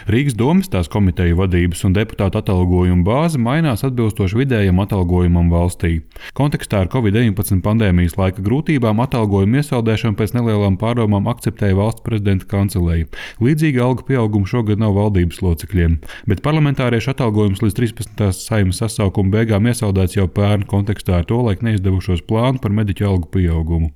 Rīgas domes, tās komiteju vadības un deputātu atalgojuma bāze mainās atbilstoši vidējam atalgojumam valstī. Kontekstā ar Covid-19 pandēmijas laika grūtībām atalgojumu iesaldēšanu pēc nelielām pārdomām akceptēja valsts prezidenta kanceleja. Līdzīgi algu pieaugumu šogad nav valdības locekļiem, bet parlamentāriešu atalgojums līdz 13. Saeimas sasaukuma beigām iesaldēts jau pērn kontekstā ar tolaik neizdevušos plānu par mediķu algu pieaugumu.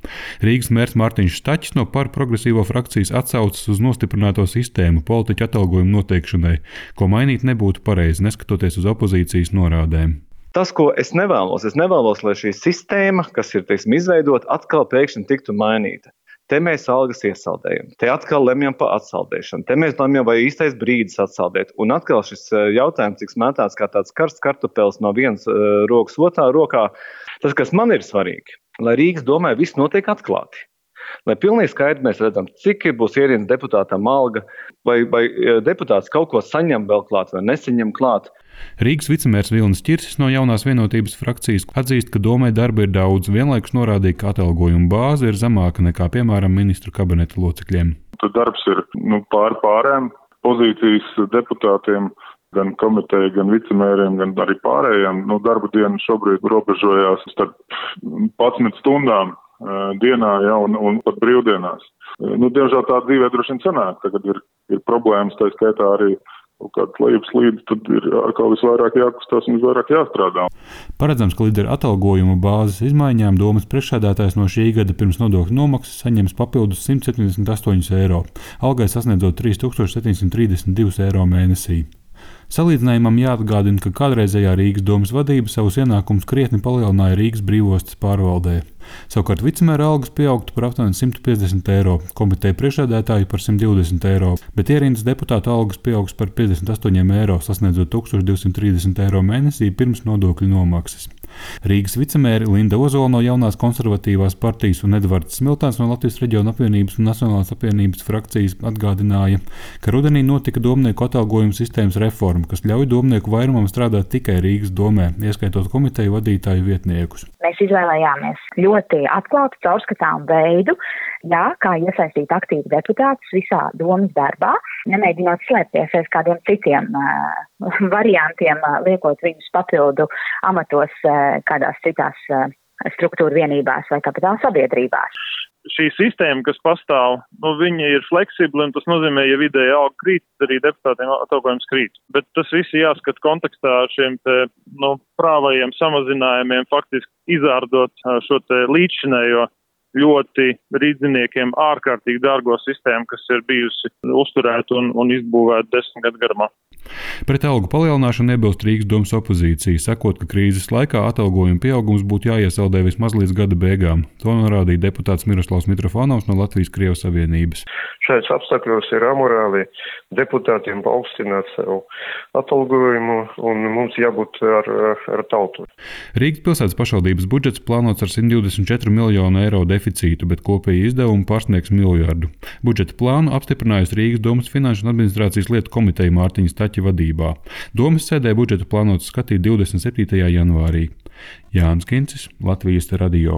Rīgas mērs Mārtiņš Staķis no Par progresīvo frakcijas atsaucas uz nostiprināto sistēmu politiķu atalgojumu noteikšanai, ko mainīt nebūtu pareizi, neskatoties uz opozīcijas norādēm. Tas, ko es nevēlos, lai šī sistēma, kas ir, izveidota, atkal pēkšņi tiktu mainīta. Te mēs algas iesaldējam, te atkal lemjam par atsaldēšanu, te mēs lemjam, vai īstais brīdis atsaldēt. Un atkal šis jautājums tiks mētāts kā tāds karsts kartupels no vienas rokas otrā rokā. Tas, kas man ir svarīgi, lai Rīgas domē viss notiek atklāti. Lai pilnīgi skaidri mēs redzam, cik būs ierīnas deputātam alga, vai deputāts kaut ko saņem vēl klāt vai nesaņem klāt. Rīgas vicemērs Vilnis Ķirsis no Jaunās vienotības frakcijas atzīst, ka domē darba ir daudz, vienlaikus norādīja, ka atalgojuma bāze ir zemāka nekā, piemēram, ministru kabineta locekļiem. Tad darbs ir pārēm pozīcijas deputātiem, gan komiteja, gan vicemēriem, gan arī pārējiem. Darba diena šobrīd robežojās starp 11 stundām dienā un pat brīvdienās. Diemžēl tā dzīvē droši vien sanāk. Tagad ir problēmas, tā skaitā arī kaut kāds lejupslīdes, tad ir atkal visvairāk jākustās un visvairāk jāstrādā. Paredzams, ka līdz ar atalgojuma bāzes izmaiņām domes priekšsēdētājs no šī gada pirms nodokļu nomaksas saņems papildus 178 eiro, algai sasniedzot 3732 eiro mēnesī. Salīdzinājumam jāatgādina, ka kādreizējā Rīgas domes vadība savus ienākumus krietni palielināja Rīgas brīvostas pārvaldē. Savukārt vicemēra algas pieaugtu par aptuveni 150 eiro, komiteja priekšsēdētāju par 120 eiro, bet ierīnas deputātu algas pieaugs par 58 eiro, sasniedzot 1230 eiro mēnesī pirms nodokļu nomaksas. Rīgas vicemēri Linda Ozola no Jaunās konservatīvās partijas un Edvards Smiltāns no Latvijas reģiona apvienības un Nacionālās apvienības frakcijas atgādināja, ka rudenī notika domnieku atalgojuma sistēmas reforma, kas ļauj domnieku vairumam strādāt tikai Rīgas domē, ieskaitot komiteju vadītāju vietniekus. Mēs izvēlējāmies ļoti atklātu, caurskatāmu veidu, kā iesaistīt aktīvi deputātus visā domas darbā, nemēģinot slēpties aiz kādiem citiem variantiem, liekot viņus papildu amatos kādās citās struktūra vienībās vai kapitāla sabiedrībās. Šī sistēma, kas pastāv, viņa ir fleksibla, un tas nozīmē, ja vidēja alga krīt, arī deputātiem atalgojums krīt. Bet tas viss jāskat kontekstā ar šiem prāvajiem samazinājumiem, faktiski izārdot šo līdzšinējo ļoti rīdziniekiem ārkārtīgi dārgo sistēmu, kas ir bijusi uzturēta un izbūvēta 10 gadu garumā. Pret algu palielināšanu iebilst Rīgas domes opozīcija, sakot, ka krīzes laikā atalgojuma pieaugums būtu jāiesaldē vismaz līdz gada beigām. To norādīja deputāts Miroslavs Mitrofanovs no Latvijas-Krievijas savienības. Šajos apstākļos ir amorāli deputātiem paaugstināt savu atalgojumu, un mums jābūt ar tautu. Rīgas pilsētas pašvaldības budžets plānots ar 124 miljonu eiro deficītu, bet kopēji izdevumi pārsniegs miljardu. Budžeta plānu apstiprinājusi Rīgas domes finanšu un administrācijas lietu komiteja Mārtiņa Staķa vadībā. Domes sēdē budžetu plānots skatīt 27. janvārī. Jānis Kincis, Latvijas radio.